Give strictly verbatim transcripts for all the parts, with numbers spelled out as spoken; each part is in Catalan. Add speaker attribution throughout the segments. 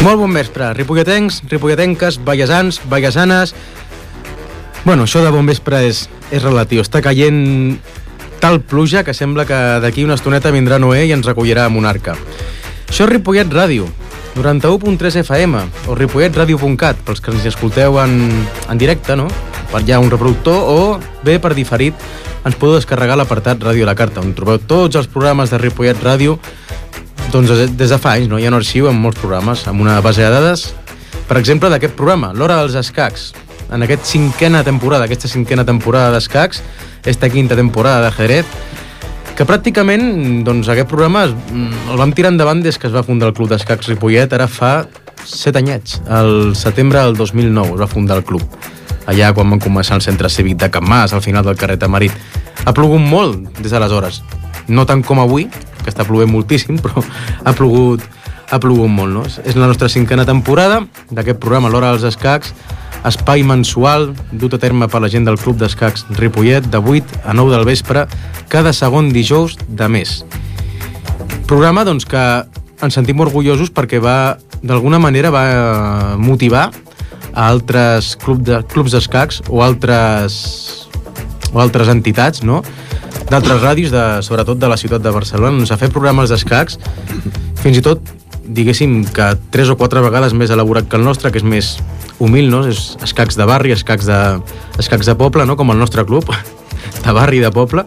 Speaker 1: Molt bon vespre, ripolletens, ripolletenques, vallesans, vallesanes... Bueno, això de bon vespre és, és relatiu. Està caient tal pluja que sembla que d'aquí una estoneta vindrà Noé i ens recollirà a Monarca. Això és Ripollet Ràdio, noranta-u punt tres F M, o ripollet ràdio punt cat, pels que ens escolteu en, en directe, no? Per allà un reproductor, o bé per diferit ens podeu descarregar l'apartat Ràdio a la Carta, on trobeu tots els programes de Ripollet Ràdio. Doncs des de fa anys, no? Hi ha un arxiu amb molts programes, amb una base de dades, per exemple, d'aquest programa, l'Hora dels Escacs. En aquesta cinquena temporada, aquesta cinquena temporada d'escacs, esta quinta temporada d'ajedrez, que pràcticament, doncs, aquest programa el vam tirar endavant des que es va fundar el Club d'Escacs Ripollet, ara fa set anyets, el setembre del dos mil nou es va fundar el club, allà quan van començar el centre cívic de Can Mas, al final del carrer Tamarit. Ha plogut molt des d'aleshores, no tant com avui, que està plovent moltíssim, però ha plogut, ha plogut molt, no? És la nostra cinquena temporada d'aquest programa, l'Hora dels Escacs, espai mensual dut a terme per la gent del Club d'Escacs Ripollet, de vuit a nou del vespre, cada segon dijous de mes. Programa, doncs, que ens sentim orgullosos perquè va, d'alguna manera, va motivar a altres club de, clubs d'escacs o altres, o altres entitats, no?, d'altres ràdios, de, sobretot de la ciutat de Barcelona, doncs, a fer programes d'escacs, fins i tot, diguéssim, que tres o quatre vegades més elaborat que el nostre, que és més humil, no? És escacs de barri, escacs de, escacs de poble, no? Com el nostre club, de barri i de poble,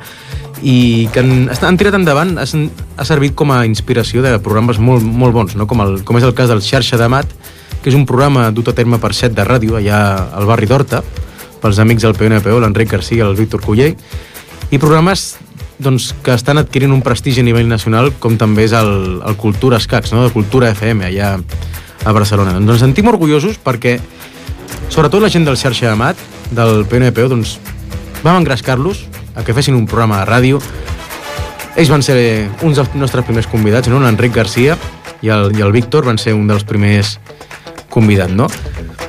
Speaker 1: i que han, han tirat endavant, ha, ha servit com a inspiració de programes molt, molt bons, no? Com, el, com és el cas del Xarxa de Mat, que és un programa dut a terme per set de ràdio, allà al barri d'Horta, pels amics del P N P O, l'Enric Garcia i el Víctor Cullell, i programes, doncs, que estan adquirint un prestigi a nivell nacional, com també és el, el Cultura Escacs, no?, de Cultura F M, allà a Barcelona. Doncs ens sentim orgullosos perquè, sobretot la gent del Xarxa de Mat, del P N P O, doncs, vam engrescar-los a que fessin un programa de ràdio. Ells van ser uns dels nostres primers convidats, no?, l'Enric Garcia i el, i el Víctor van ser un dels primers convidats, no?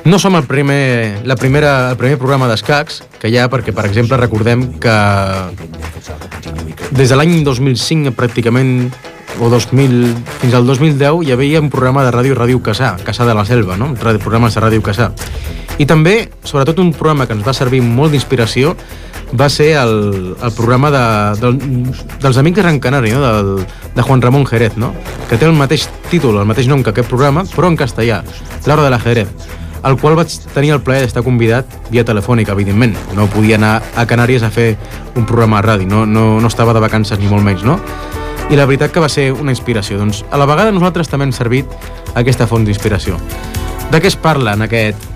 Speaker 1: No som el primer, la primera, el primer programa d'escacs que hi ha, perquè, per exemple, recordem que des de l'any dos mil cinc, pràcticament, o dos mil, fins al dos mil deu, hi havia un programa de ràdio, Ràdio Cassà, Cassà de la Selva, no? Programes de Ràdio Cassà. I també, sobretot, un programa que ens va servir molt d'inspiració va ser el, el programa de, del, dels Amics de Gran Canària, no? Del, de Juan Ramón Jerez, no? Que té el mateix títol, el mateix nom que aquest programa, però en castellà, L'Hora de l'ajedrez, al qual vaig tenir el plaer d'estar convidat via telefònica, evidentment. No podia anar a Canàries a fer un programa de ràdio, no, no, no estava de vacances ni molt menys, no? I la veritat que va ser una inspiració. Doncs a la vegada nosaltres també hem servit aquesta font d'inspiració. De què es parla en aquest,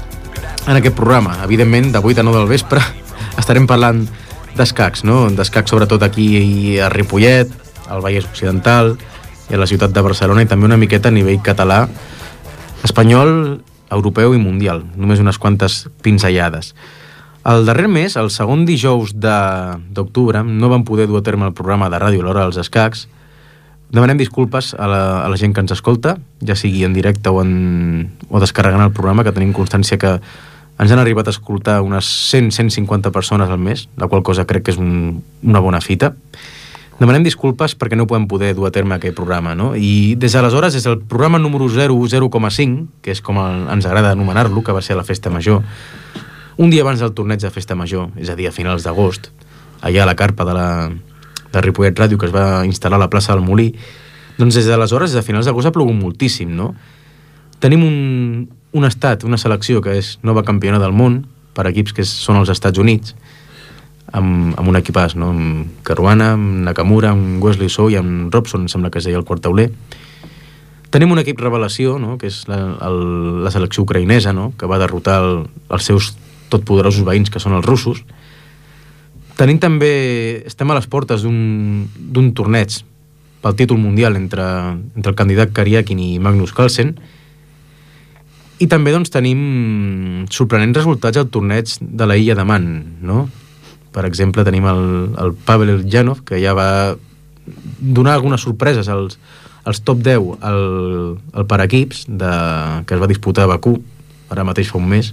Speaker 1: en aquest programa? Evidentment, de vuit a nou del vespre estarem parlant d'escacs, no? D'escacs sobretot aquí a Ripollet, al Vallès Occidental i a la ciutat de Barcelona, i també una miqueta a nivell català, espanyol, europeu i mundial, només unes quantes pinzellades. El darrer mes, el segon dijous d'octubre, no vam poder dur a terme el programa de ràdio L'Hora dels Escacs. Demanem disculpes a la, a la gent que ens escolta, ja sigui en directe o, en, o descarregant el programa, que tenim constància que ens han arribat a escoltar unes cent a cent cinquanta persones al mes, la qual cosa crec que és un, una bona fita. Demanem disculpes perquè no podem poder dur a terme aquest programa, no? I des d'aleshores, des del programa número zero zero coma cinc, que és com el, ens agrada anomenar-lo, que va ser la Festa Major, un dia abans del torneig de Festa Major, és a dir, a finals d'agost, allà a la carpa de, la, de Ripollet Ràdio, que es va instal·lar a la plaça del Molí, doncs des d'aleshores, des de finals d'agost, ha plogut moltíssim, no? Tenim un, un estat, una selecció que és nova campiona del món, per equips que són els Estats Units, amb, amb un equipàs, no? Amb Caruana, amb Nakamura, amb Wesley So i amb Robson, em sembla que es deia el quart tauler. Tenim un equip revelació, no? Que és la, el, la selecció ucraïnesa, no? Que va derrotar el, els seus totpoderosos veïns, que són els russos. Tenim també, estem a les portes d'un torneig pel títol mundial entre, entre el candidat Karyakin i Magnus Carlsen, i també doncs, tenim sorprenents resultats al torneig de la Illa de Man, no? Per exemple, tenim el, el Pavel Eljanov, que ja va donar algunes sorpreses als, als top deu al, al per equips de, que es va disputar a Bakú, ara mateix fa un mes.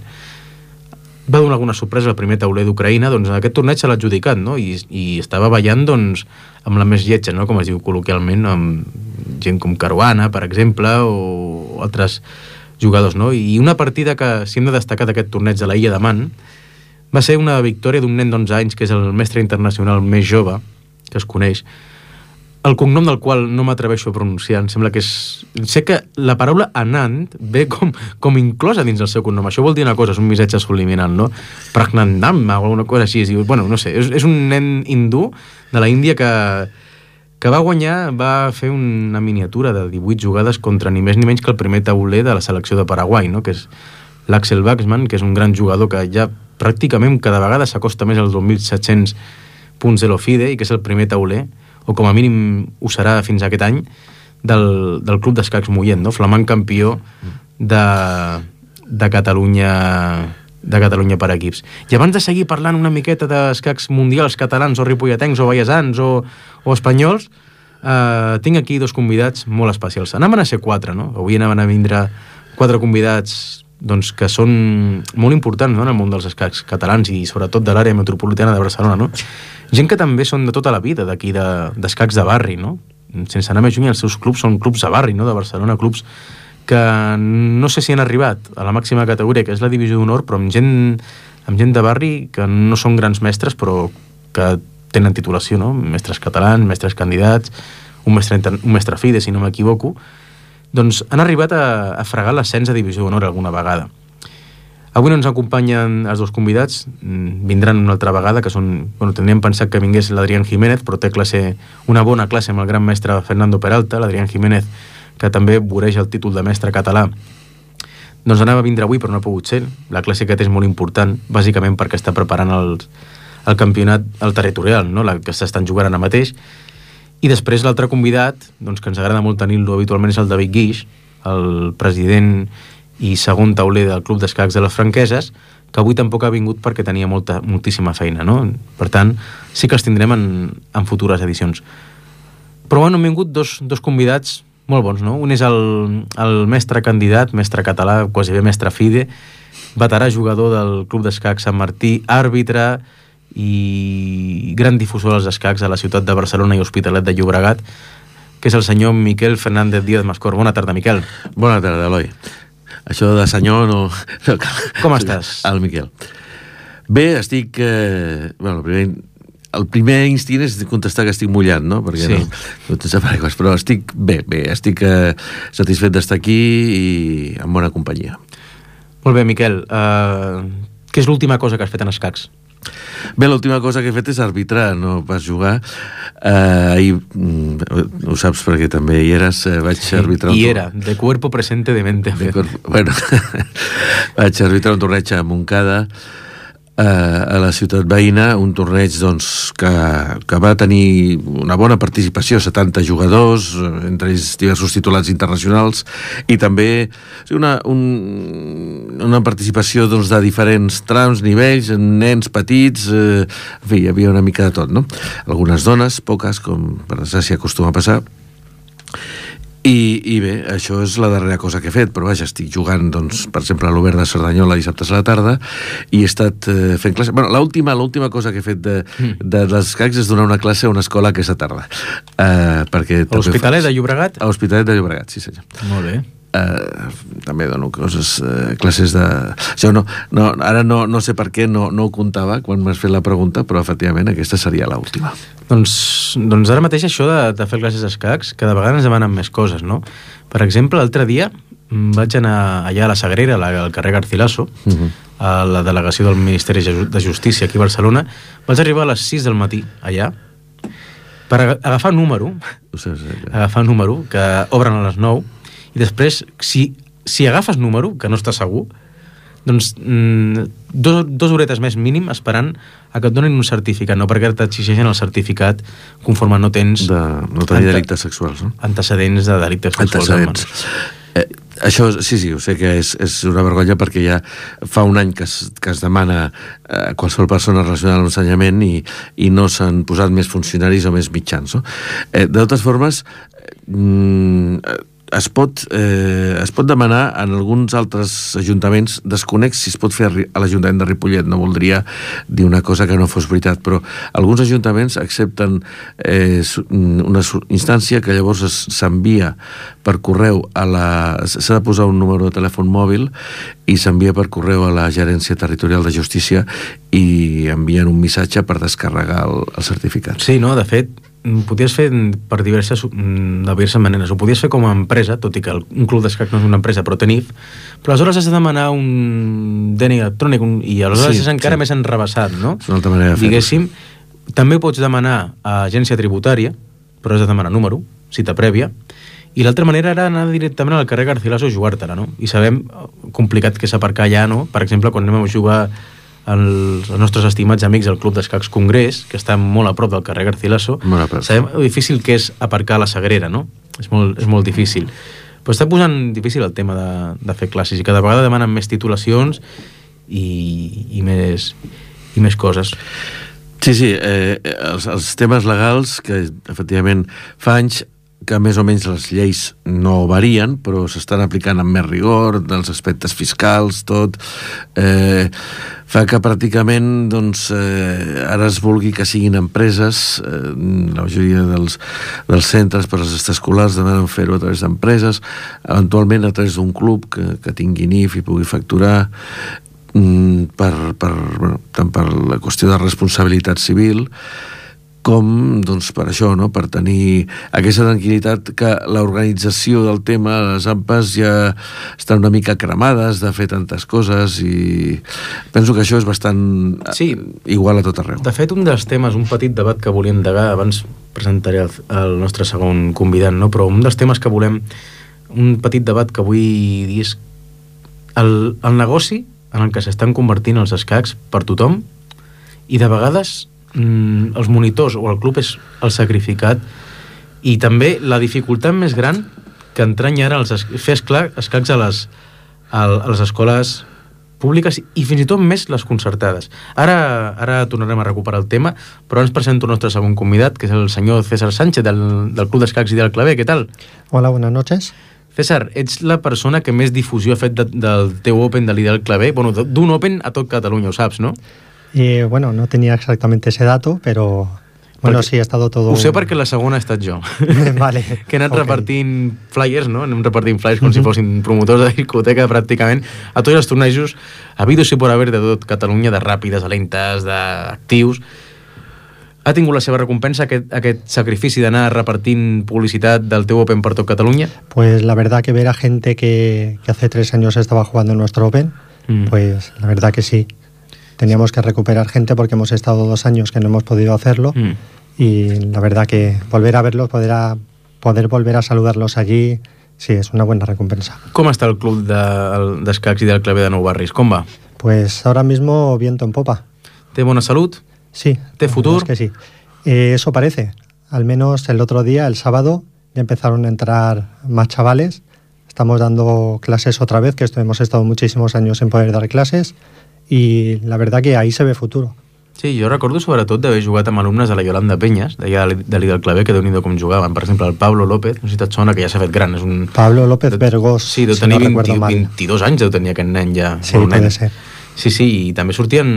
Speaker 1: Va donar alguna sorpresa al primer tauler d'Ucraïna, doncs aquest torneig se l'ha adjudicat, no? I, i estava ballant, doncs, amb la més lletja, no? Com es diu col·loquialment, amb gent com Caruana, per exemple, o altres jugadors, no? I una partida que, si hem de destacar d'aquest torneig de la Illa de Man, va ser una victòria d'un nen d'onze anys, que és el mestre internacional més jove que es coneix, el cognom del qual no m'atreveixo a pronunciar, em sembla que és... Sé que la paraula Anand ve com, com inclosa dins del seu cognom. Això vol dir una cosa, és un missatge subliminal, no? Pragnandamma o alguna cosa així. Bueno, no sé, és, és un nen hindú de la Índia que, que va guanyar, va fer una miniatura de divuit jugades contra ni més ni menys que el primer tauler de la selecció de Paraguai, no? Que és l'Axel Waxman, que és un gran jugador que ja pràcticament cada vegada s'acosta més als dos mil set-cents punts de l'Ofide i que és el primer tauler, o com a mínim ho serà fins aquest any, del, del Club d'Escacs Mollent, no? Flamant campió de, de Catalunya de Catalunya per equips. I abans de seguir parlant una miqueta d'escacs mundials catalans o ripolletens o vallesans o, o espanyols, eh, tinc aquí dos convidats molt especials. Anaven a ser quatre, no? Avui anaven a vindre quatre convidats doncs, que són molt importants, no?, en el món dels escacs catalans i sobretot de l'àrea metropolitana de Barcelona, no? Gent que també són de tota la vida d'aquí, d'escacs de, de barri, no? Sense anar més lluny, els seus clubs són clubs de barri, no?, de Barcelona, clubs que no sé si han arribat a la màxima categoria, que és la divisió d'honor, però amb gent, amb gent de barri que no són grans mestres, però que tenen titulació, no? Mestres catalans, mestres candidats, un mestre, un mestre FIDE, si no m'equivoco, doncs han arribat a, a fregar l'ascens a divisió d'honor alguna vegada. Avui no ens acompanyen els dos convidats, vindran una altra vegada, que són... Bueno, tindríem pensat que vingués l'Adrián Jiménez, però té classe, una bona classe amb el gran mestre Fernando Peralta, l'Adrián Jiménez, que també voreja el títol de mestre català. Doncs anava a vindre avui, però no ha pogut ser. La classe que té és molt important, bàsicament perquè està preparant el, el campionat, el territorial, no?, la que s'estan jugant ara mateix. I després l'altre convidat, doncs, que ens agrada molt tenir-lo habitualment, és el David Guix, el president i segon tauler del Club d'Escacs de les Franqueses, que avui tampoc ha vingut perquè tenia molta, moltíssima feina, no? Per tant, sí que els tindrem en, en futures edicions. Però bueno, han vingut dos, dos convidats molt bons, no? Un és el, el mestre candidat, mestre català, quasi bé mestre FIDE, veterà jugador del Club d'Escacs Sant Martí, àrbitre i gran difusor dels escacs a la ciutat de Barcelona i Hospitalet de Llobregat, que és el senyor Miquel Fernández Díaz Mascor. Bona tarda, Miquel.
Speaker 2: Bona tarda, Eloi. Això de senyor no... no
Speaker 1: Com estàs?
Speaker 2: El Miquel. Bé, estic... Eh, bueno, el primer, el primer instint és contestar que estic mullant, no? Perquè sí. no, no tens paraigües, però estic bé, bé, estic eh, satisfet d'estar aquí i en bona companyia.
Speaker 1: Molt bé, Miquel. Uh, què és l'última cosa que has fet en escacs?
Speaker 2: Bé, l'última cosa que he fet és arbitrar, no pas jugar. Uh, ahir, mm, ho saps perquè també hi eres, uh, vaig sí, arbitrar...
Speaker 1: I era, de cuerpo presente de mente.
Speaker 2: De cuerpo, bueno, vaig arbitrar un torneig a Montcada, uh, a la ciutat veïna, un torneig doncs, que, que va tenir una bona participació, setanta jugadors, entre ells diversos titulats internacionals, i també una, un, una participació doncs, de diferents trams, nivells, nens petits, eh, en fi, hi havia una mica de tot, no? Algunes dones, poques, com per desgràcia acostuma a passar. I, I bé, això és la darrera cosa que he fet, però vaja, estic jugant, doncs, per exemple, a l'Obert de Cerdanyola dissabtes a la tarda, i he estat eh, fent classe... Bueno, l'última l'última cosa que he fet de, de les escacs és donar una classe a una escola aquesta tarda. Uh, perquè
Speaker 1: a l'Hospitalet de Llobregat?
Speaker 2: A l'Hospitalet de Llobregat, sí senyor.
Speaker 1: Molt bé.
Speaker 2: Uh, també dono coses, uh, classes de... Això no, no, ara no, no sé per què no, no ho comptava quan m'has fet la pregunta, però efectivament aquesta seria l'última.
Speaker 1: Doncs, doncs ara mateix això de, de fer classes d'escacs, cada vegada ens demanen més coses, no? Per exemple, l'altre dia vaig anar allà a la Sagrera, al carrer Garcilaso, uh-huh. a la delegació del Ministeri de Justícia aquí a Barcelona. Vaig arribar a les sis del matí allà per agafar número,
Speaker 2: sé, sé, ja.
Speaker 1: agafar número, que obren a les nou, i després, si, si agafes número, que no estàs segur, doncs mm, dos, dos horetes més mínim esperant a que et donin un certificat, no perquè t'exigeixen el certificat conforme no tens...
Speaker 2: De, no tenir ante, delictes sexuals, no?
Speaker 1: Antecedents de delictes sexuals.
Speaker 2: Antecedents. Eh, això, sí, sí, ho sé que és, és una vergonya perquè ja fa un any que es, que es demana eh, qualsevol persona relacionada amb l'ensenyament i, i no s'han posat més funcionaris o més mitjans, no? Eh, de totes formes, eh, es pot, eh, es pot demanar en alguns altres ajuntaments, desconec si es pot fer a l'Ajuntament de Ripollet, no voldria dir una cosa que no fos veritat, però alguns ajuntaments accepten eh, una instància que llavors s'envia per correu a la... s'ha de posar un número de telèfon mòbil i s'envia per correu a la Gerència Territorial de Justícia i envien un missatge per descarregar el, el certificat.
Speaker 1: Sí, no? De fet, ho podies fer per diverses, de diverses maneres. Ho podies fer com a empresa, tot i que un club d'escac no és una empresa, però té N I F, però aleshores has de demanar un D N I electrònic un, i aleshores sí, és encara sí. més enrebaçat, no?
Speaker 2: És una altra manera de fer-ho.
Speaker 1: Diguéssim, també pots demanar a agència tributària, però has de demanar número, cita prèvia, i l'altra manera era anar directament al carrer Garcilaso a jugar-te-la, no? I sabem complicat que és aparcar allà, no? Per exemple, quan anem a jugar els, els nostres estimats amics del Club d'Escacs Congrés, que està molt a prop del carrer Garcilaso, sabem el difícil que és aparcar a la Sagrera, no? És molt, és molt difícil. Però està posant difícil el tema de, de fer classes i cada vegada demanen més titulacions i, i, més, i més coses.
Speaker 2: Sí, sí, eh, els, els temes legals que efectivament fa anys que més o menys les lleis no varien, però s'estan aplicant amb més rigor, dels aspectes fiscals, tot, eh, fa que pràcticament doncs, eh, ara es vulgui que siguin empreses, eh, la majoria dels, dels centres per als extraescolars demanen fer-ho a través d'empreses, eventualment a través d'un club que, que tingui N I F i pugui facturar, per, per, bueno, tant per la qüestió de responsabilitat civil com doncs, per això, no? Per tenir aquesta tranquil·litat que l'organització del tema, les A M P As ja estan una mica cremades de fer tantes coses i penso que això és bastant sí. igual a tot arreu.
Speaker 1: De fet, un dels temes, un petit debat que volíem endegar, abans presentaré el, el nostre segon convidat, no? Però un dels temes que volem, un petit debat que vull dir és el, el negoci en el que s'estan convertint els escacs per tothom i de vegades mm, els monitors o el club és el sacrificat i també la dificultat més gran que entranya ara els es, fer escacs a les, a, a les escoles públiques i fins i tot més les concertades. Ara, ara tornarem a recuperar el tema, però ens presento el nostre segon convidat, que és el senyor César Sánchez del, del Club d'Escacs i del Claver. Què tal?
Speaker 3: Hola, buenas noches.
Speaker 1: César, ets la persona que més difusió ha fet de, del teu Open de l'Ideal Claver, bueno, d'un Open a tot Catalunya, ho saps, no?
Speaker 3: Y bueno, no tenía exactamente ese dato, pero bueno, perquè, sí, ha estado todo...
Speaker 1: Ho sé perquè la segona ha estat jo.
Speaker 3: Vale.
Speaker 1: Que he anat okay. repartint flyers, no? Anem repartint flyers com uh-huh. si fossin promotors de discoteca, pràcticament, a tots els tornejos, habidos i por haver de tot Catalunya, de ràpides, de lentes, d'actius. Ha tingut la seva recompensa aquest, aquest sacrifici d'anar repartint publicitat del teu Open per tot Catalunya?
Speaker 3: Pues la verdad que ver a gente que, que hace tres años estaba jugando en nuestro Open, mm. pues la verdad que sí. Teníamos que recuperar gente porque hemos estado dos años que no hemos podido hacerlo mm. y la verdad que volver a verlos, poder, a, poder volver a saludarlos allí, sí, es una buena recompensa.
Speaker 1: Com està el club d'escacs de, i del Claver de Nou Barris? Com va?
Speaker 3: Pues ahora mismo viento en popa.
Speaker 1: ¿Té bona salut?
Speaker 3: Sí.
Speaker 1: ¿Té futuro?
Speaker 3: Es que sí. Eh, eso parece. Al menos el otro día, el sábado, ya empezaron a entrar más chavales. Estamos dando clases otra vez, que esto hemos estado muchísimos años sin poder dar clases, y la verdad que ahí se ve futuro.
Speaker 1: Sí, jo recordo sobretot d'haver jugat amb alumnes de la Yolanda Penyes, d'allà de l'Ideal Claver, que déu-n'hi-do com jugaven. Per exemple, el Pablo López, no sé si et sona, que ja s'ha fet gran. És un...
Speaker 3: Pablo López Vergós,
Speaker 1: sí, deu tenir si no vint, vint-i-dos anys, deu tenir aquest nen ja.
Speaker 3: Sí, pot ser.
Speaker 1: Sí, sí, i també sortien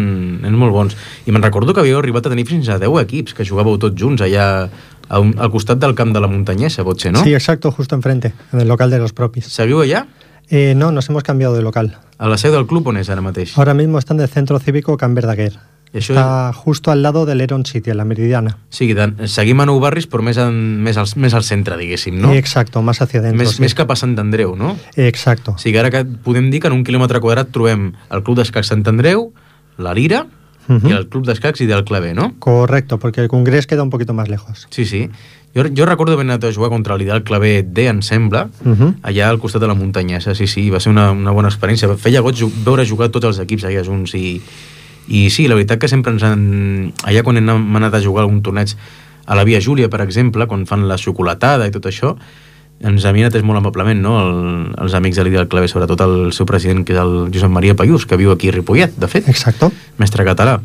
Speaker 1: nens molt bons. I me'n recordo que havíeu arribat a tenir fins a deu equips, que jugàveu tots junts allà a un, al costat del camp de la Muntanyesa, pot ser, no?
Speaker 3: Sí, exacto, justo enfrente, en el local de los propis.
Speaker 1: Seguiu allà?
Speaker 3: Eh, no, nos hemos cambiado de local.
Speaker 1: A la seu del club on és ara mateix?
Speaker 3: Ahora mismo está en el Centro Cívico Can Verdaguer. Está és... justo al lado del Heron City, en la Meridiana.
Speaker 1: Sí, seguim a Nou Barris, però més, en, més, al, més al centre, diguéssim, no?
Speaker 3: Exacto, más hacia dentro.
Speaker 1: Més,
Speaker 3: sí.
Speaker 1: més cap a Sant Andreu, no?
Speaker 3: Exacto.
Speaker 1: O sigui, ara que podem dir que en un quilòmetre quadrat trobem el Club d'Escacs Sant Andreu, la Lira uh-huh. i el Club d'Escacs i del Claver, ¿no?
Speaker 3: Correcto, porque el Congrés queda un poquito más lejos.
Speaker 1: Sí, sí. Jo, jo recordo haver anat a jugar contra l'Ideal Claver D, em sembla, uh-huh. allà al costat de la Muntanyesa. Sí, sí, va ser una, una bona experiència. Feia goig veure jugar tots els equips allà junts i, i sí, la veritat que sempre ens han... Allà quan hem anat a jugar algun torneig a la Via Júlia, per exemple, quan fan la xocolatada i tot això, ens havien atès molt amablement, no? El, els amics de l'Ideal Claver, sobretot el seu president, que és el Josep Maria Paiús, que viu aquí a Ripollet, de fet.
Speaker 3: Exacto.
Speaker 1: Mestre català.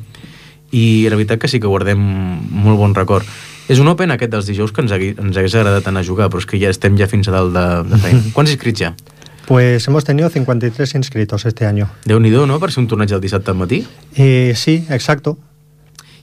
Speaker 1: I la veritat que sí que guardem molt bon record. És un Open aquest dels dijous que ens, hagui, ens hagués agradat anar a jugar, però és que ja estem ja fins a dalt de, de feina. Quants inscrits ja?
Speaker 3: Pues hemos tenido cincuenta y tres inscritos este año.
Speaker 1: Déu-n'hi-do, no?, per ser un torneig el dissabte al matí.
Speaker 3: Eh, sí, exacto.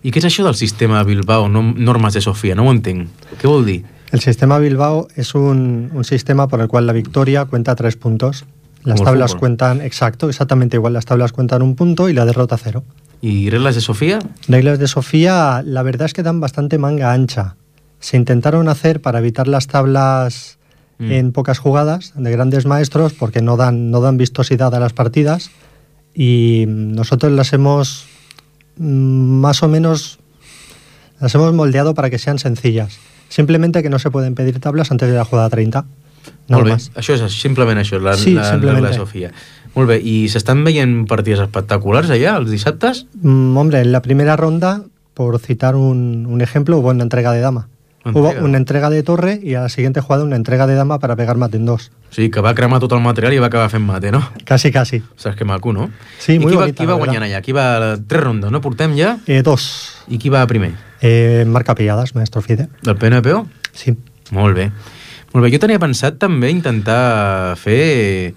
Speaker 1: I què és això del sistema Bilbao, no, normas de Sofía? No ho entenc. Què vol dir?
Speaker 3: El sistema Bilbao es un, un sistema por el cual la victoria cuenta tres puntos. Las
Speaker 1: Como el
Speaker 3: tablas
Speaker 1: fútbol.
Speaker 3: cuentan, exacto, exactamente igual. Las tablas cuentan un punto y la derrota cero.
Speaker 1: ¿Y reglas de Sofía?
Speaker 3: Reglas de Sofía, la verdad es que dan bastante manga ancha. Se intentaron hacer para evitar las tablas mm. en pocas jugadas de grandes maestros porque no dan, no dan vistosidad a las partidas y nosotros las hemos más o menos las hemos moldeado para que sean sencillas. Simplemente que no se pueden pedir tablas antes de la jugada treinta. No
Speaker 1: Molt bé,
Speaker 3: más.
Speaker 1: això és simplement això, la,
Speaker 3: sí,
Speaker 1: la regla de Sofía. Molt bé, i s'estan veient partides espectaculars allà, els dissabtes?
Speaker 3: Mm, hombre, en la primera ronda, por citar un, un ejemplo, hubo una entrega de dama. Hubo una entrega de torre y a la siguiente jugada una entrega de dama para pegar mate en dos.
Speaker 1: Sí, que va cremar tot el material i va acabar fent mate, no?
Speaker 3: Casi, casi.
Speaker 1: Saps que maco, no?
Speaker 3: Sí, muy
Speaker 1: I qui
Speaker 3: bonita,
Speaker 1: va, qui va guanyant allà? Qui va... Tres rondes, no? Portem ja?
Speaker 3: Eh, dos.
Speaker 1: I qui va primer?
Speaker 3: Eh, Marc Capellades, maestro Fide.
Speaker 1: Del P N P O?
Speaker 3: Sí.
Speaker 1: Molt bé. Molt bé, jo tenia pensat també intentar fer...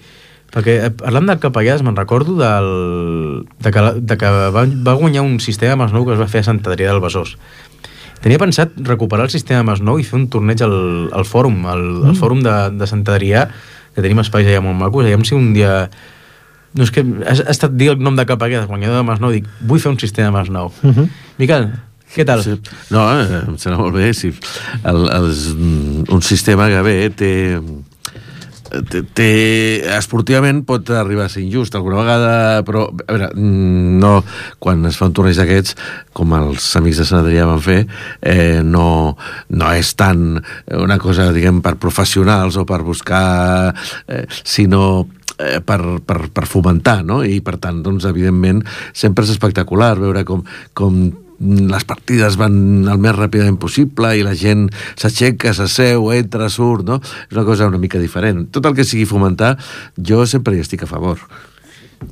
Speaker 1: Perquè parlant del Capellades me'n recordo del... de que, de que va, va guanyar un sistema Masnou que es va fer a Sant Adrià del Besòs. Tenia pensat recuperar el sistema Masnou i fer un torneig al, al fòrum, al, mm. al fòrum de, de Sant Adrià, que tenim espais allà molt macos. Aviam si un dia... No, és que ha, ha estat dir el nom de Capellades, guanyador de Masnou, dic, vull fer un sistema Masnou. Mm -hmm. Miquel, què tal?
Speaker 2: Sí. No, eh, em sembla molt bé. Sí. El, el, un sistema que bé té... Té, té, esportivament pot arribar a ser injust alguna vegada, però a veure, no, quan es fa un torneig d'aquests com els amics de Sant Adrià van fer, eh, no, no és tant una cosa, diguem, per professionals o per buscar, eh, sinó eh, per, per, per fomentar, no? I per tant, doncs, evidentment sempre és espectacular veure com, com les partides van el més ràpidament possible i la gent s'aixeca, s'asseu, entra, surt, no? És una cosa una mica diferent. Tot el que sigui fomentar, jo sempre hi estic a favor.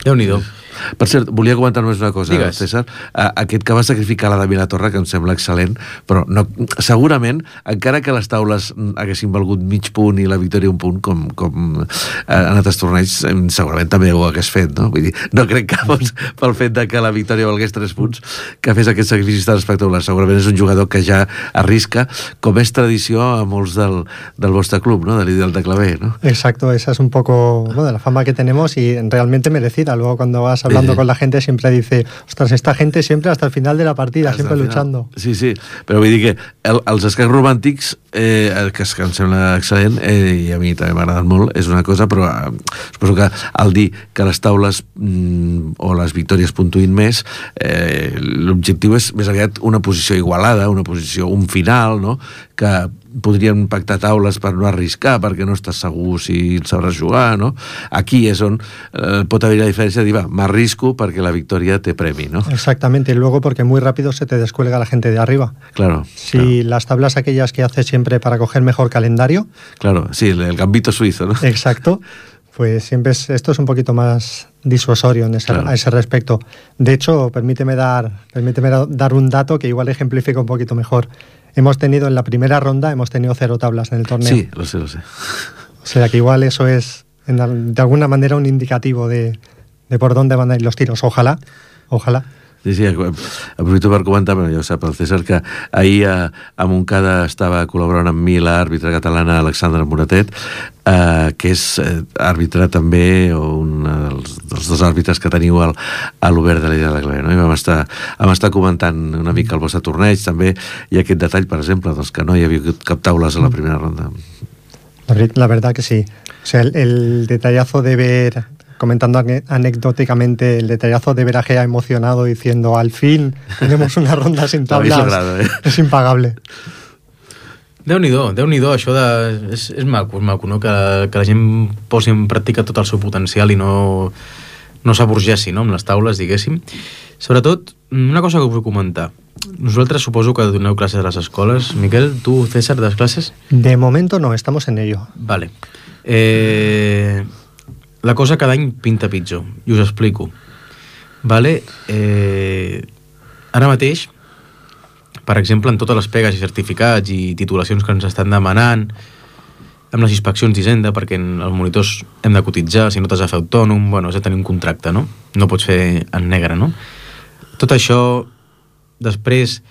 Speaker 1: Déu-n'hi-do.
Speaker 2: Per cert, volia comentar només una cosa,
Speaker 1: Digues.
Speaker 2: César. Aquest que va sacrificar la de Vilatorra, que em sembla excel·lent, però no, segurament, encara que les taules haguessin valgut mig punt i la victòria un punt, com, com en altres torneigs, segurament també ho hagués fet, no? Vull dir, no crec que fos pel fet de que la victòria valgués tres punts que fes aquest sacrifici tan espectacular. Segurament és un jugador que ja arrisca, com és tradició a molts del, del vostre club, ¿no? Del Ideal de Clavé, ¿no?
Speaker 3: Exacto, esa es un poco, bueno, la fama que tenemos y realmente merecida. Luego cuando vas hablando con la gente siempre dice, ostras, esta gente siempre hasta el final de la partida, hasta siempre luchando.
Speaker 2: Sí, sí, però vull dir que el, els escacs romàntics, eh, que, que em sembla excel·lent, eh, i a mi també m'ha agradat molt, és una cosa, però eh, suposo que al dir que les taules mm, o les victòries puntuïn més, eh, l'objectiu és més aviat una posició igualada, una posició, un final, no?, que podrien pactar taules per no arriscar, perquè no estàs segur si sabràs jugar, no? Aquí és on eh, pot haver la diferència de dir, va, m'arrisco perquè la victòria té premi, ¿no?
Speaker 3: Exactamente, y luego porque muy rápido se te descuelga la gente de arriba.
Speaker 2: Claro.
Speaker 3: Si
Speaker 2: claro.
Speaker 3: Las tablas aquellas que haces siempre para coger mejor calendario.
Speaker 2: Claro, sí, el, el gambito suizo, ¿no?
Speaker 3: Exacto. Pues siempre es, esto es un poquito más disuasorio en ese,
Speaker 2: claro.
Speaker 3: a ese respecto. De hecho, permíteme dar, permíteme dar un dato que igual ejemplifica un poquito mejor. Hemos tenido en la primera ronda, hemos tenido cero tablas en el torneo.
Speaker 2: Sí, lo sé, lo sé.
Speaker 3: O sea que igual eso es, en, de alguna manera, un indicativo de, de por dónde van a ir los tiros. Ojalá, ojalá.
Speaker 2: Sí, sí, aprofito per comentar, però ja ho sap el César, que ahir a, a Montcada estava col·laborant amb mi l'àrbitre catalana Alexandra Moratet, eh, que és eh, àrbitre també, o un dels, dels dos àrbitres que teniu al, a l'Obert de l'Illa de la Clavé, no? I vam estar, vam estar comentant una mica el vostre torneig també, i aquest detall, per exemple, doncs, que no hi havia cap taules a la primera ronda.
Speaker 3: La verdad que sí. O sea, el, el detallazo de ver... Comentando anecdóticamente el detallazo de ver a Gea emocionado diciendo al fin tenemos una ronda sin tablas,
Speaker 2: logrado, eh?
Speaker 3: Es impagable.
Speaker 1: Déu-n'hi-do, Déu-n'hi-do, això de... És, és maco, és maco, no? Que, que la gent posi en pràctica tot el seu potencial i no, no s'aburgeixi, no?, amb les taules, diguéssim. Sobretot, una cosa que us vull comentar. Nosaltres suposo que doneu classes a les escoles. Miquel, tu, César, das classes?
Speaker 3: De momento no, estamos en ello.
Speaker 1: Vale. Eh... La cosa cada any pinta pitjor, i us explico. Vale? Eh, ara mateix, per exemple, en totes les pegues i certificats i titulacions que ens estan demanant, amb les inspeccions d'Hisenda, perquè en els monitors hem de cotitzar, si no t'has de fer autònom, bueno, has de tenir un contracte, no? No pots fer en negre, no? Tot això, després,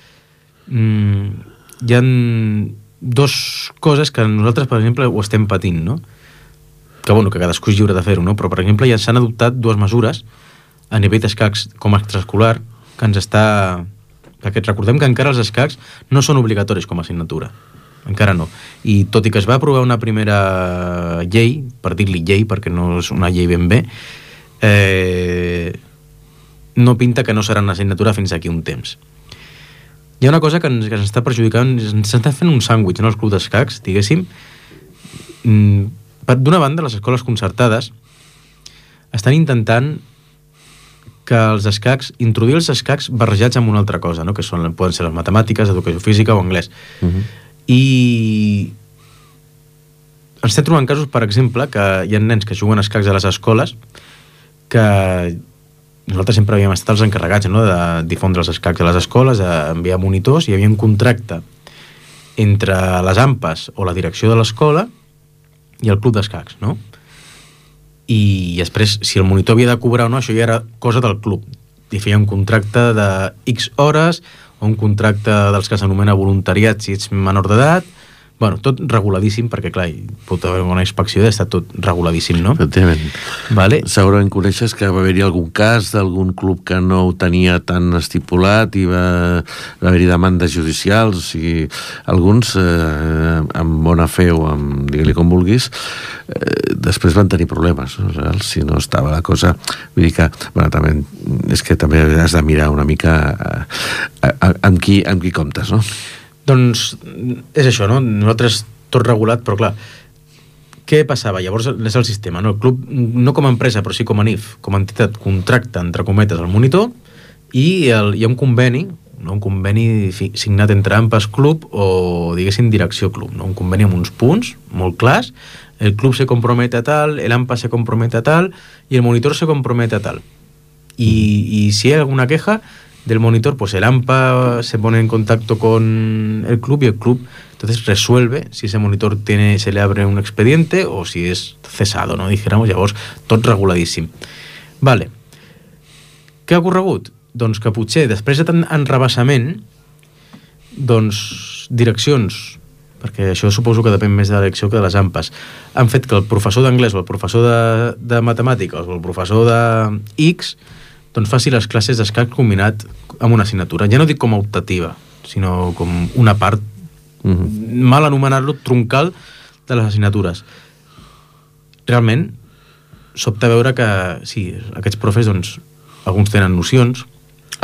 Speaker 1: mmm, hi ha dos coses que nosaltres, per exemple, ho estem patint, no? Que, bueno, que cadascú és lliure de fer-ho, no? Però, per exemple, ja s'han adoptat dues mesures a nivell d'escacs com a extraescolar que ens està... Perquè recordem que encara els escacs no són obligatoris com a assignatura. Encara no. I tot i que es va aprovar una primera llei, per dir-li llei, perquè no és una llei ben bé, eh, no pinta que no serà una assignatura fins aquí un temps. Hi ha una cosa que ens, que ens està perjudicant, ens està fent un sàndwich, no?, els clubs d'escacs, diguéssim. D'una banda, les escoles concertades estan intentant que els escacs, introduir els escacs barrejats amb una altra cosa, no?, que són, poden ser les matemàtiques, educació física o anglès. Uh-huh. I ens estem trobant casos, per exemple, que hi ha nens que juguen escacs a les escoles que nosaltres sempre havíem estat els encarregats, no?, de difondre els escacs a les escoles, d'enviar monitors, i hi havia un contracte entre les AMPAs o la direcció de l'escola i el club d'escacs, no? I després, si el monitor havia de cobrar o no, això ja era cosa del club. I feia un contracte de X hores o un contracte dels que s'anomena voluntariat si ets menor d'edat. Bueno, tot reguladíssim, perquè, clar, pot haver una inspecció i està tot reguladíssim, no?
Speaker 2: Efectivament.
Speaker 1: Vale.
Speaker 2: Segurament coneixes que va haver-hi algun cas d'algun club que no ho tenia tan estipulat i va, va haver-hi demandes judicials, o sigui, alguns, eh, amb bona fe o amb, digue-li com vulguis, eh, després van tenir problemes, no? Si no estava la cosa... Vull dir que, bueno, també, és que també has de mirar una mica a, a, a, amb, qui, amb qui comptes, no?
Speaker 1: Doncs és això, no? Nosaltres tot regulat, però clar, què passava? Llavors és el sistema, no? El club, no com a empresa, però sí com a N I F, com a entitat, contracta, entre cometes, el monitor i el, hi ha un conveni, no? Un conveni signat entre AMPAs club o, diguéssim, direcció club, no? Un conveni amb uns punts molt clars, el club se compromete a tal, el AMPA se compromete a tal i el monitor se compromete a tal. Y, y si hay alguna queja del monitor, pues el AMPA se pone en contacto con el club y el club entonces resuelve si ese monitor tiene, se le abre un expediente o si es cesado, no? Dijéramos, llavors, tot reguladíssim. Vale. Què ha ocorregut? Doncs que potser, després de tant enrabassament, doncs, direccions, perquè això suposo que depèn més de la direcció que de les AMPAs, han fet que el professor d'anglès o el professor de, de matemàtiques o el professor de X doncs faci les classes d'escac combinat amb una assignatura. Ja no dic com a optativa, sinó com una part, uh-huh. mal anomenar-lo, troncal de les assignatures. Realment, sobta veure que, sí, aquests profes, doncs, alguns tenen nocions,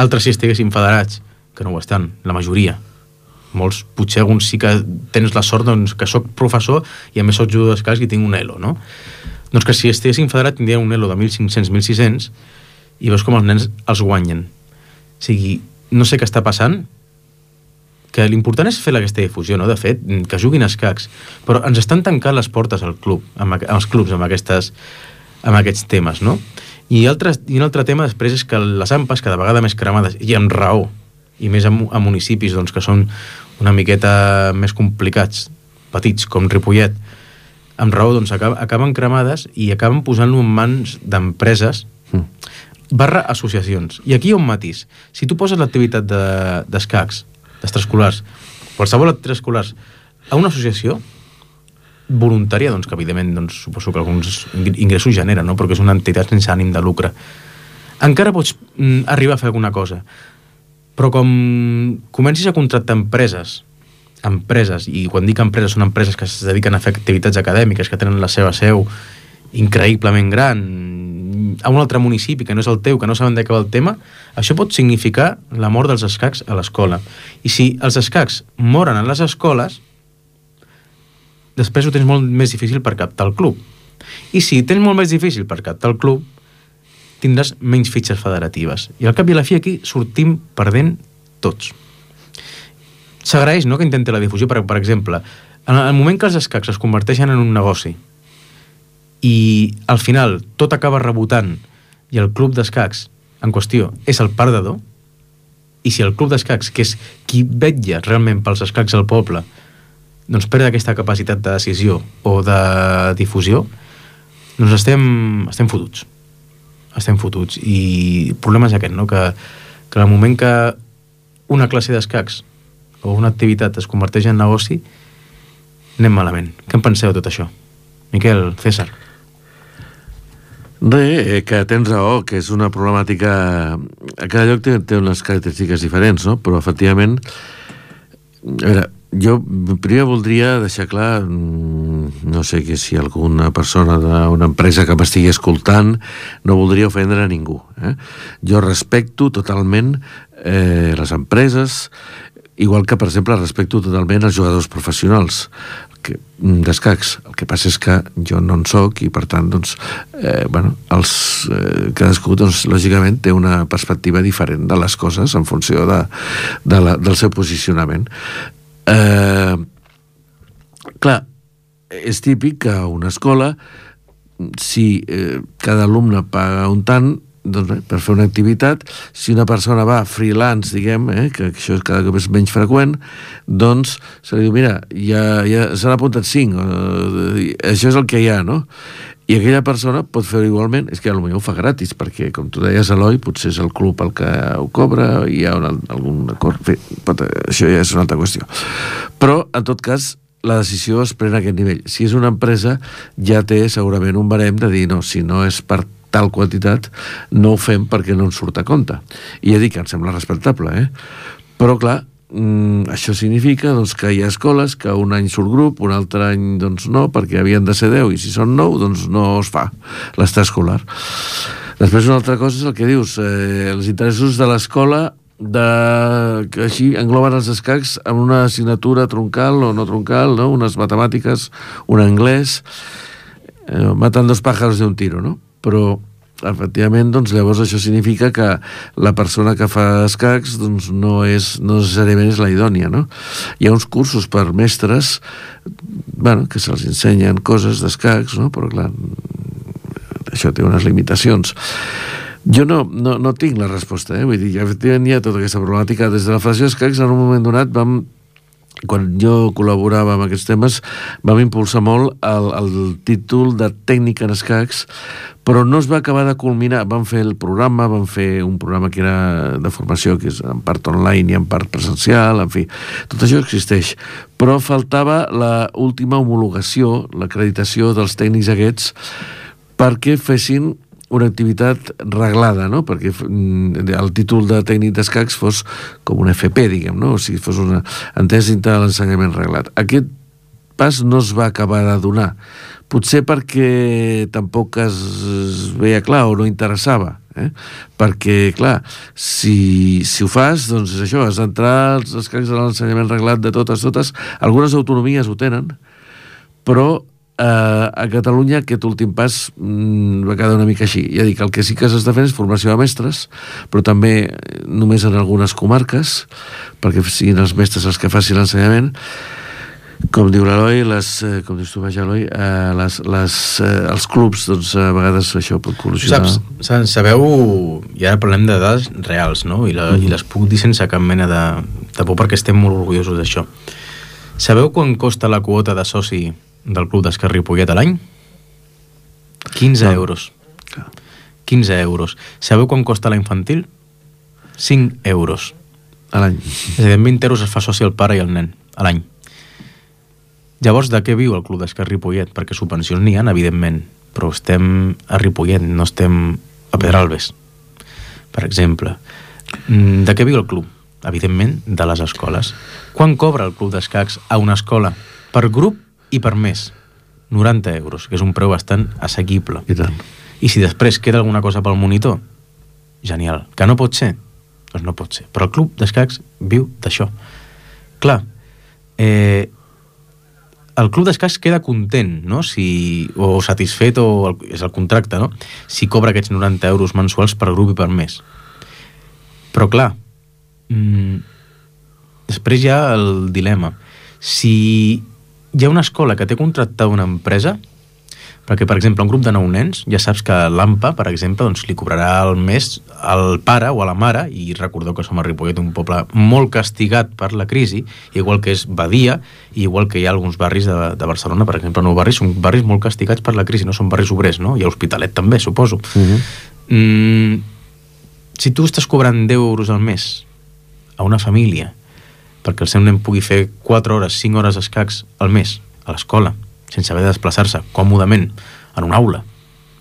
Speaker 1: altres si estiguessin federats, que no ho estan, la majoria. Molts, potser alguns sí que tens la sort, doncs, que soc professor i a més soc jugador d'escacs i tinc un elo, no? Doncs que si estiguessin federats tindrien un elo de mil cinc-cents a mil sis-cents i veus com els nens els guanyen. O sigui, no sé què està passant, que l'important és fer aquesta difusió, no? De fet, que juguin escacs, però ens estan tancant les portes al club, amb, als clubs amb, aquestes, amb aquests temes, no? I, altres, i un altre tema després és que les AMPAs cada vegada més cremades, i amb raó, i més a, a municipis doncs, que són una miqueta més complicats, petits, com Ripollet, amb raó doncs, acab, acaben cremades i acaben posant-lo en mans d'empreses mm. barra associacions. I aquí hi ha un matís. Si tu poses l'activitat d'escacs, de, d'extraescolars, qualsevol extraescolars, a una associació voluntària, doncs, que evidentment doncs, suposo que alguns ingressos generen, no? Perquè és una entitat sense ànim de lucre. Encara pots mm, arribar a fer alguna cosa. Però com comencis a contractar empreses, empreses, i quan dic empreses són empreses que es dediquen a fer activitats acadèmiques, que tenen la seva seu increïblement gran, a un altre municipi que no és el teu, que no saben de què va el tema, això pot significar la mort dels escacs a l'escola. I si els escacs moren a les escoles, després ho tens molt més difícil per captar el club. I si tens molt més difícil per captar el club, tindràs menys fitxes federatives. I al cap i a la fi aquí sortim perdent tots. S'agraeix, no?, que intenti la difusió, per, per exemple, en el moment que els escacs es converteixen en un negoci i al final tot acaba rebotant i el club d'escacs en qüestió és el perdedor, I si el club d'escacs, que és qui vetlla realment pels escacs al poble, doncs perd aquesta capacitat de decisió o de difusió, doncs estem, estem fotuts. Estem fotuts. I el problema és aquest, no? Que, que en el moment que una classe d'escacs o una activitat es converteix en negoci, anem malament. Què en penseu de tot això? Miquel, César.
Speaker 2: Bé, que tens raó, que és una problemàtica... A cada lloc té, té unes característiques diferents, no? Però, efectivament, a veure, jo primer voldria deixar clar, no sé que si alguna persona d'una empresa que m'estigui escoltant, no voldria ofendre a ningú. Eh? Jo respecto totalment eh, les empreses, igual que, per exemple, respecto totalment els jugadors professionals que, d'escacs. El que passa és que jo no en soc i, per tant, doncs, eh, bueno, els, eh, cadascú, doncs, lògicament, té una perspectiva diferent de les coses en funció de, de la, del seu posicionament. Eh, clar, és típic que a una escola, si eh, cada alumne paga un tant, doncs bé, per fer una activitat, si una persona va freelance, diguem, eh, que això cada cop és menys freqüent, doncs se li diu, mira, ja, ja se n'ha apuntat cinc, eh, això és el que hi ha, no? I aquella persona pot fer-ho igualment, és que potser ho fa gratis, perquè, com tu deies, Eloi, potser és el club el que ho cobra, hi ha un, algun acord, en fi, pot, això ja és una altra qüestió. Però, en tot cas, la decisió es pren a aquest nivell. Si és una empresa, ja té segurament un barem de dir, no, si no és per tal quantitat, no ho fem perquè no ens surt a compte. I ja dic que em sembla respectable, eh? Però, clar, mm, això significa doncs, que hi ha escoles que un any surt grup, un altre any doncs, no, perquè havien de ser deu, i si són nou, doncs no es fa l'estar escolar. Després una altra cosa és el que dius, eh, els interessos de l'escola de... que així engloben els escacs amb una assignatura troncal o no troncal, no? Unes matemàtiques, un anglès, eh, matant dos pájaros de un tiro, no? Però, efectivament, doncs, llavors això significa que la persona que fa escacs doncs, no, és, no necessàriament és la idònia, no? Hi ha uns cursos per mestres, bueno, que se'ls ensenyen coses d'escacs, no? Però, clar, això té unes limitacions. Jo no, no, no tinc la resposta, eh? Vull dir, efectivament hi ha tota aquesta problemàtica. Des de la Federació d'Escacs, en un moment donat, vam... quan jo col·laborava amb aquests temes, vam impulsar molt el, el títol de tècnic en escacs, però no es va acabar de culminar. Vam fer el programa, vam fer un programa que era de formació, que és en part online i en part presencial, en fi, tot això existeix. Però faltava la última homologació, l'acreditació dels tècnics aquests, perquè fessin una activitat reglada, no? Perquè el títol de tècnic d'escacs fos com un F P, diguem, no? O sigui, fos una entès dintre de l'ensenyament reglat. Aquest pas no es va acabar de donar. Potser perquè tampoc es veia clar o no interessava, eh? Perquè, clar, si, si ho fas, doncs és això, has d'entrar als escacs de l'ensenyament reglat de totes, totes. Algunes autonomies ho tenen, però Uh, a Catalunya aquest últim pas mm, va quedar una mica així. Ja dic, el que sí que s'està fent és formació de mestres, però també només en algunes comarques, perquè siguin els mestres els que facin l'ensenyament. Com diu l'Eloi, les, eh, com dius tu, vaja, Eloi, eh, les, les, eh, els clubs, doncs, a vegades això pot col·lusionar.
Speaker 1: Saps, sabeu, i ara parlem de dades reals, no? I, la, mm. i les puc dir sense cap mena de, de por, perquè estem molt orgullosos d'això. Sabeu quan costa la quota de soci del Club d'Escacs Ripollet a l'any? quinze euros. quinze euros. Sabeu quan costa la infantil? cinc euros.
Speaker 2: A l'any.
Speaker 1: És a dir, amb vint euros es fa soci el pare i el nen, a l'any. Llavors, de què viu el Club d'Escacs Ripollet? Perquè subvencions n'hi ha, evidentment, però estem a Ripollet, no estem a Pedralbes, per exemple. De què viu el club? Evidentment, de les escoles. Quan cobra el Club d'Escacs a una escola? Per grup i per mes, noranta euros, que és un preu bastant assequible.
Speaker 2: I tant.
Speaker 1: I si després queda alguna cosa pel monitor, genial. Que no pot ser? Doncs no pot ser. Però el Club d'Escacs viu d'això. Clar, eh, el Club d'Escacs queda content, no? Si, o satisfet, o el, és el contracte, no? Si cobra aquests noranta euros mensuals per grup i per mes. Però clar, mmm, després hi ha el dilema. Si hi ha una escola que té contractada una empresa, Perquè, per exemple, un grup de nou nens, ja saps que l'A M P A, per exemple, doncs, li cobrarà al mes al pare o a la mare, i recordeu que som a Ripollet, un poble molt castigat per la crisi, igual que és Badia, i igual que hi ha alguns barris de, de Barcelona, per exemple, nou barris, són barris molt castigats per la crisi, no són barris obrers, no? I a Hospitalet també, suposo. Uh-huh. Mm, si tu estàs cobrant deu euros al mes a una família perquè el seu nen pugui fer quatre hores, cinc hores d'escacs al mes a l'escola, sense haver de desplaçar-se còmodament en una aula,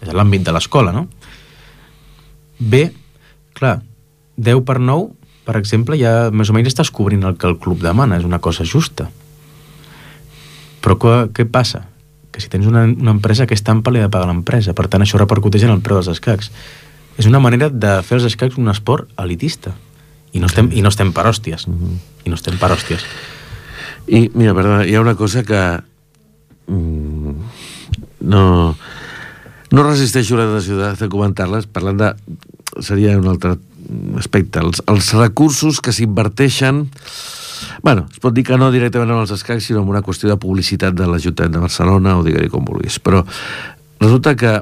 Speaker 1: és l'àmbit de l'escola, no? Bé, clar, deu per nou, per exemple, ja més o menys estàs cobrint el que el club demana, és una cosa justa. Però què, què passa? Que si tens una, una empresa, aquesta ampa li ha de pagar l'empresa, per tant això repercuteix en el preu dels escacs. És una manera de fer els escacs un esport elitista. I no estem, i no estem per hòsties. Mm-hmm. I no estem per hòsties.
Speaker 2: I, mira, perdona, hi ha una cosa que mm, no no resisteixo la necessitat de comentar-les, parlant de... seria un altre aspecte. Els, els recursos que s'inverteixen... Bueno, es pot dir que no directament en els escacs, sinó en una qüestió de publicitat de l'Ajuntament de Barcelona, o digue-li com vulguis. Però resulta que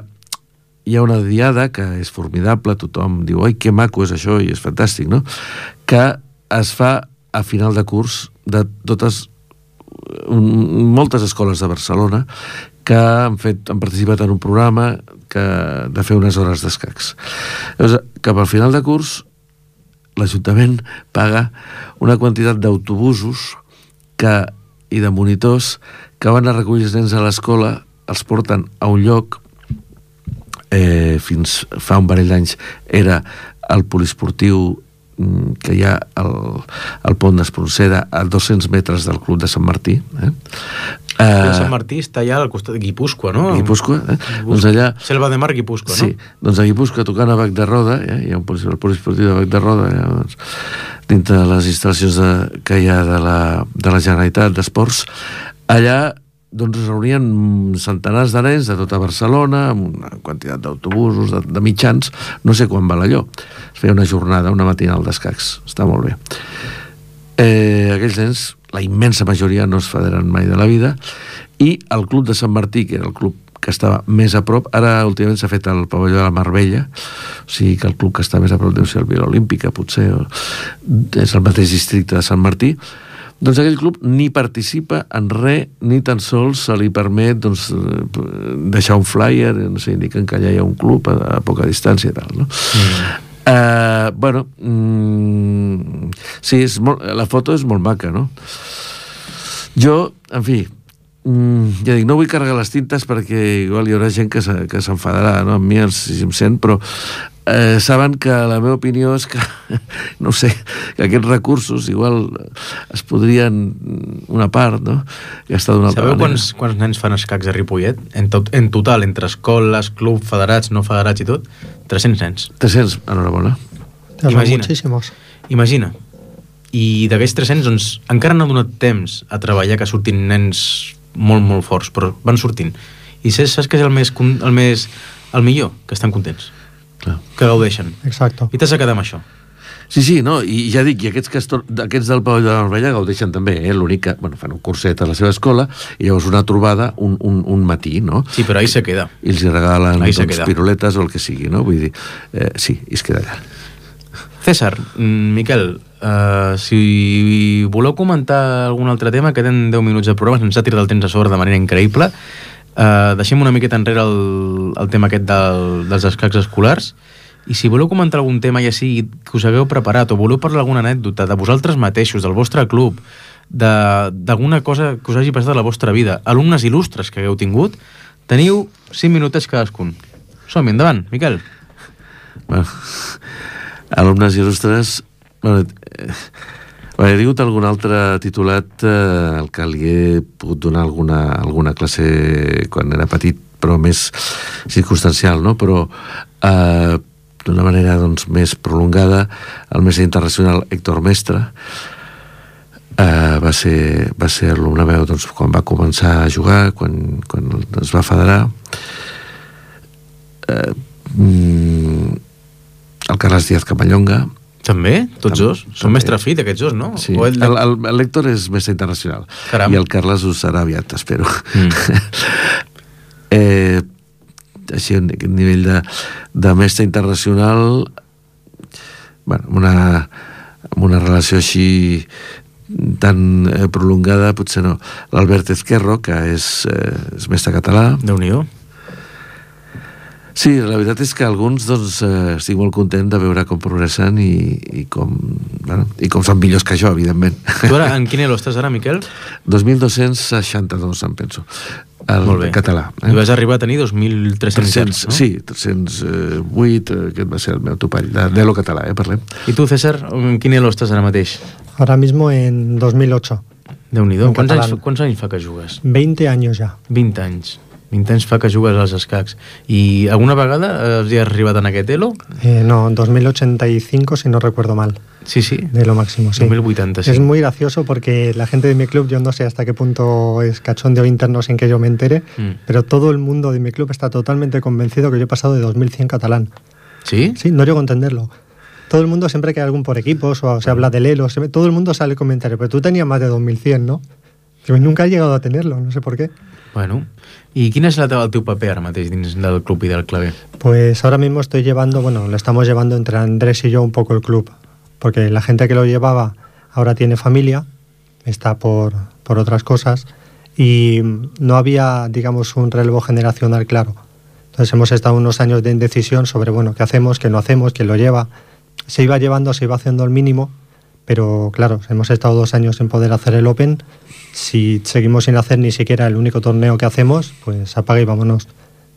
Speaker 2: hi ha una diada que és formidable, tothom diu, oi, que maco és això, i és fantàstic, no? Que es fa a final de curs de totes, un, moltes escoles de Barcelona que han, fet, han participat en un programa que, de fer unes hores d'escacs. Llavors, cap al final de curs, l'Ajuntament paga una quantitat d'autobusos que, i de monitors que van a recollir els nens a l'escola, els porten a un lloc. Eh, fins fa un parell d'anys era el poliesportiu mm, que hi ha al, al pont d'Espronceda a dos-cents metres del club de Sant Martí. Eh?
Speaker 1: Uh, Sant Martí està allà al costat de Guipúscoa, no?
Speaker 2: Guipúscoa, eh? Doncs allà...
Speaker 1: Selva de Mar, Guipúscoa,
Speaker 2: sí, no? Sí, doncs a Guipúscoa, tocant a Bac de Roda, eh? Hi ha un poliesportiu de Bac de Roda, eh? Doncs, dintre de les instal·lacions de, que hi ha de la, de la Generalitat d'Esports, allà doncs es reunien centenars de nens de tota Barcelona, amb una quantitat d'autobusos, de, de mitjans, no sé quan val allò. Es feia una jornada, una matinal d'escacs, està molt bé. Eh, aquells nens, la immensa majoria no es federen mai de la vida, i el club de Sant Martí, que era el club que estava més a prop, ara últimament s'ha fet el pavelló de la Marbella, o sigui que el club que està més a prop deu ser el Vila Olímpica, potser, o, és el mateix districte de Sant Martí. Doncs aquell club ni participa en res, ni tan sols se li permet doncs, deixar un flyer, no sé, indiquen que allà hi ha un club a, a poca distància i tal, no? Mm. Uh, bueno, mm, sí, és molt, la foto és molt maca, no? Jo, en fi, mm, ja dic, no vull carregar les tintes perquè igual hi haurà gent que s'enfadarà, no? Amb mi, si em sent, però Eh, saben que la meva opinió és que no sé, que aquests recursos igual es podrien una part, no? Gastar d'una altra
Speaker 1: manera.
Speaker 2: Sabeu
Speaker 1: quants, quants nens fan escacs a Ripollet? En, tot, en total, entre escoles, club, federats, no federats i tot, tres-cents nens.
Speaker 2: tres-cents, enhorabona.
Speaker 1: Imagina, imagina. I d'aquests tres-cents, doncs, encara no ha donat temps a treballar que surtin nens molt, molt forts, però van sortint. I saps que és el més, el més el millor? Que estan contents. Clar. Que gaudeixen.
Speaker 3: Exacto.
Speaker 1: I t'has de quedar amb això.
Speaker 2: Sí, sí, no, i ja dic, i aquests, que estor... aquests del pavelló de la Marbella gaudeixen també, eh? L'únic que, bueno, fan un curset a la seva escola i llavors una trobada un, un, un matí, no?
Speaker 1: Sí, però ahí se queda.
Speaker 2: I els hi regalen doncs, piruletes o el que sigui, no? Vull dir, eh, sí, i es queda allà.
Speaker 1: César, Miquel, uh, si voleu comentar algun altre tema, queden deu minuts de programa, ens ha tirat el temps a sobre de manera increïble. Uh, deixem una miqueta enrere el, el tema aquest del, dels escacs escolars, i si voleu comentar algun tema ja sigui que us hagueu preparat o voleu parlar alguna anècdota de vosaltres mateixos, del vostre club, d'alguna cosa que us hagi passat a la vostra vida, alumnes il·lustres que hagueu tingut, teniu cinc minutets cadascun. Som-hi, endavant, Miquel.
Speaker 2: Bueno, alumnes il·lustres, bueno, eh, he tingut algun altre titulat eh, el que li he pogut donar alguna, alguna classe quan era petit, però més circumstancial, no? Però eh, d'una manera doncs, més prolongada, el mestre internacional Héctor Mestre eh, va ser, va ser alumne meu doncs, quan va començar a jugar, quan, quan es va federar. Eh, mm, el Carles Díaz Camallonga.
Speaker 1: També? Tots dos? Són mestre fill aquests dos, no?
Speaker 2: Sí. El, el, el Héctor és mestre internacional. Caram. I el Carles ho serà aviat, espero. Mm. eh, així a nivell de, de mestre internacional, bueno, amb una, amb una relació així tan eh, prolongada, potser no. L'Albert Ezquerro, que és, eh, és mestre català.
Speaker 1: Déu-n'hi-do.
Speaker 2: Sí, la veritat és que alguns, doncs, eh, estic molt content de veure com progressen i, i, com, bueno, i com són millors que jo, evidentment.
Speaker 1: Tu ara, en quin elo estàs ara, Miquel?
Speaker 2: dos mil dos-cents seixanta-dos, em penso. El
Speaker 1: Molt bé.
Speaker 2: Català.
Speaker 1: Eh? I vas arribar a tenir dos mil tres-cents, no?
Speaker 2: Sí, tres-cents vuit, aquest va ser el meu topall, de l'elo català, eh, parlem.
Speaker 1: I tu, César, en quin elo estàs ara mateix?
Speaker 3: Ahora mismo en dos mil ocho.
Speaker 1: Déu-n'hi-do.
Speaker 3: En
Speaker 1: Quants anys,
Speaker 3: catalán.
Speaker 1: quants anys fa que jugues?
Speaker 3: veinte años ya.
Speaker 1: vint anys. vint anys fa que jugues als escacs. I alguna vegada has arribat en aquest elo?
Speaker 3: Eh, no, dos mil ochenta y cinco, si no recuerdo mal.
Speaker 1: Sí, sí.
Speaker 3: De lo máximo, sí.
Speaker 1: dos mil vuitanta, sí.
Speaker 3: Es muy gracioso porque la gente de mi club, yo no sé hasta qué punto es cachondeo interno sin que yo me entere,
Speaker 1: Mm.
Speaker 3: pero todo el mundo de mi club está totalmente convencido que yo he pasado de dos mil cien catalán.
Speaker 1: Sí?
Speaker 3: Sí, no llego a entenderlo. Todo el mundo, siempre que hay algún por equipos o se habla del elo, se ve- todo el mundo sale el comentario, pero tú tenías más de dos mil cien, ¿no? Yo nunca he llegado a tenerlo, no sé por qué.
Speaker 1: Bueno. I quin és la teva, el teu paper ara mateix dins del club i del claver?
Speaker 3: Pues ahora mismo estoy llevando, bueno, lo estamos llevando entre Andrés y yo un poco el club, porque la gente que lo llevaba ahora tiene familia, está por, por otras cosas, y no había, digamos, un relevo generacional claro. Entonces hemos estado unos años de indecisión sobre, bueno, qué hacemos, qué no hacemos, quién lo lleva. Se iba llevando, se iba haciendo el mínimo, pero claro, hemos estado dos años sin poder hacer el Open. Si seguimos sin hacer ni siquiera el único torneo que hacemos, pues apaga y vámonos.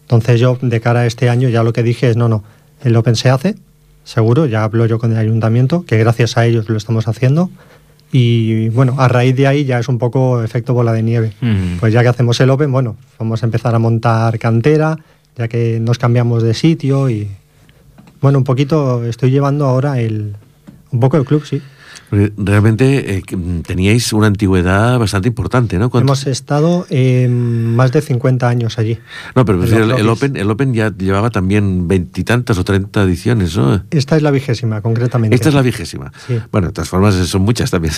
Speaker 3: Entonces yo, de cara a este año, ya lo que dije es, no, no, el Open se hace, seguro, ya hablo yo con el ayuntamiento, que gracias a ellos lo estamos haciendo, y bueno, a raíz de ahí ya es un poco efecto bola de nieve.
Speaker 1: Mm.
Speaker 3: Pues ya que hacemos el Open, bueno, vamos a empezar a montar cantera, ya que nos cambiamos de sitio y... Bueno, un poquito estoy llevando ahora el... un poco el club, sí.
Speaker 2: Realmente eh, teníais una antigüedad bastante importante, ¿no? ¿Cuánto?
Speaker 3: Hemos estado eh, más de cincuenta años allí.
Speaker 2: No, pero
Speaker 3: en
Speaker 2: el,
Speaker 3: los
Speaker 2: el,
Speaker 3: lobbies.
Speaker 2: Open, el Open ya llevaba también veintitantas o treinta ediciones, ¿no?
Speaker 3: Esta es la vigésima, concretamente.
Speaker 2: Esta es la vigésima.
Speaker 3: Sí.
Speaker 2: Bueno, de todas formas son muchas también.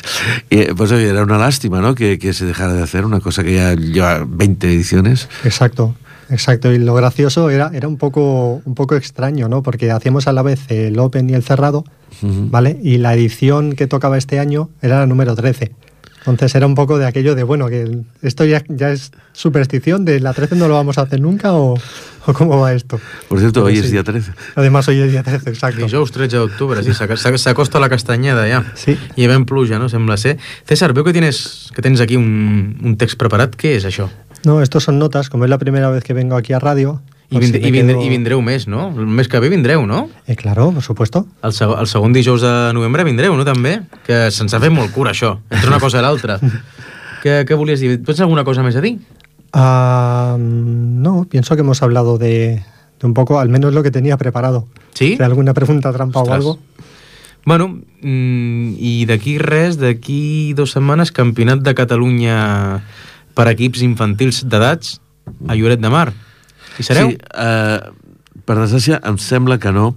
Speaker 2: Y, pues oye, era una lástima, ¿no? Que, que se dejara de hacer una cosa que ya lleva veinte ediciones.
Speaker 3: Exacto, exacto. Y lo gracioso era, era un poco, un poco extraño, ¿no? Porque hacíamos a la vez el Open y el cerrado,
Speaker 2: Uh-huh.
Speaker 3: ¿vale? Y la edición que tocaba este año era la número trece. Entonces era un poco de aquello de, bueno, que esto ya, ya es superstición, de la trece no lo vamos a hacer nunca, o, o cómo va esto.
Speaker 2: Por cierto,
Speaker 3: Pero
Speaker 2: hoy
Speaker 3: sí.
Speaker 2: es día trece.
Speaker 3: Además hoy es día trece, exacto.
Speaker 1: Dijous tretze d'octubre, sí, s'ac- s'ac- s'acosta la castanyada ja.
Speaker 3: Sí.
Speaker 1: I havent pluja, no? Sembla ser. César, veo que tienes, que tens aquí un, un text preparat. Què és això?
Speaker 3: No, estos son notas, como es la primera vez que vengo aquí a radio.
Speaker 1: I,
Speaker 3: pues
Speaker 1: vind,
Speaker 3: si me
Speaker 1: i, vindre,
Speaker 3: quedo-
Speaker 1: I vindreu més, no? El mes que ve vindreu, no?
Speaker 3: Eh, claro, por supuesto.
Speaker 1: El, seg el segon dijous de novembre vindreu, no, també? Que se'ns ha fet molt cura, això, entre una cosa i l'altra. què, què volies dir? Tens alguna cosa més a dir?
Speaker 3: Ah, no, pienso que hemos hablado de, de un poco, al menos lo que tenía preparado.
Speaker 1: Sí?
Speaker 3: ¿De alguna pregunta trampa
Speaker 1: Ostres.
Speaker 3: o algo?
Speaker 1: Bueno, mm, i d'aquí res, d'aquí dues setmanes, Campionat de Catalunya per equips infantils d'edats a Lloret de Mar. Hi sereu?
Speaker 2: Sí, eh, per desgràcia, em sembla que no.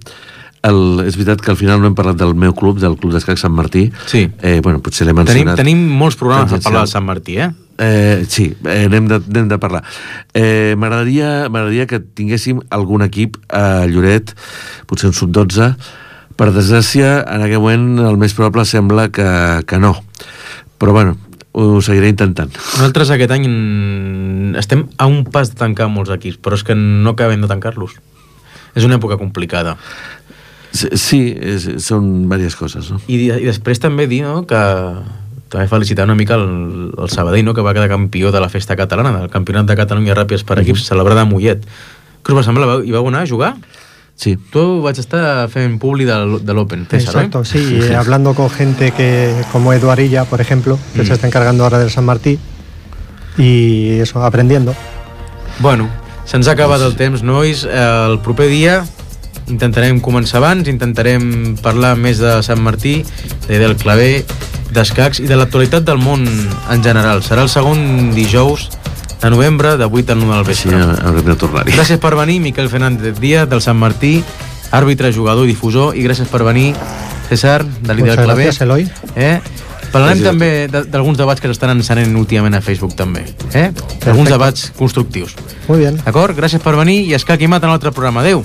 Speaker 2: El, és veritat que al final no hem parlat del meu club, del Club d'Escacs Sant Martí.
Speaker 1: Sí.
Speaker 2: Eh, bueno, potser l'he
Speaker 1: Tenim,
Speaker 2: mencionat.
Speaker 1: tenim molts programes a
Speaker 2: Tangencial.
Speaker 1: parlar de Sant Martí, eh?
Speaker 2: Eh, sí, eh, n'hem de, n'hem de parlar. Eh, m'agradaria, m'agradaria que tinguéssim algun equip a Lloret, potser un sub dotze. Per desgràcia, en aquest moment el més probable sembla que, que no. Però bueno, ho seguiré intentant.
Speaker 1: Nosaltres aquest any mm, estem a un pas de tancar molts equips, però és que no acabem de tancar-los. És una època complicada.
Speaker 2: Sí, sí és, són diverses coses, no?
Speaker 1: I, i després també dir, no, que també felicitar una mica el, el Sabadell, no, que va quedar campió de la festa catalana, del Campionat de Catalunya Ràpids per equips, uh-huh. celebrada a Mollet. Què us va semblar? Hi vau anar a jugar?
Speaker 2: Sí.
Speaker 1: Tu vaig estar fent publi de, de l'Open, César,
Speaker 3: Exacto,
Speaker 1: ¿eh?
Speaker 3: sí, eh, hablando con gente que, como Eduardilla, por ejemplo, que
Speaker 1: Mm.
Speaker 3: se está encargando ahora del San Martí, y eso, aprendiendo.
Speaker 1: Bueno, se'ns ha acabat el temps, nois. El proper dia intentarem començar abans, intentarem parlar més de Sant Martí, de, del claver, d'escacs i de l'actualitat del món en general. Serà el segon dijous de novembre, de vuit a nou del
Speaker 2: Així
Speaker 1: vespre.
Speaker 2: haurem de tornar-hi.
Speaker 1: Gràcies per venir, Miquel Fernández Díaz, del Sant Martí, àrbitre, jugador i difusor, i gràcies per venir, César, de l'Ida
Speaker 3: Muchas
Speaker 1: del Claver.
Speaker 3: gracias, Eloy.
Speaker 1: Eh? Parlarem també d'alguns debats que s'estan encenent últimament a Facebook també, eh? Alguns debats constructius.
Speaker 3: Muy bien.
Speaker 1: D'acord? Gràcies per venir i escac i mat en l'altre programa. Adéu.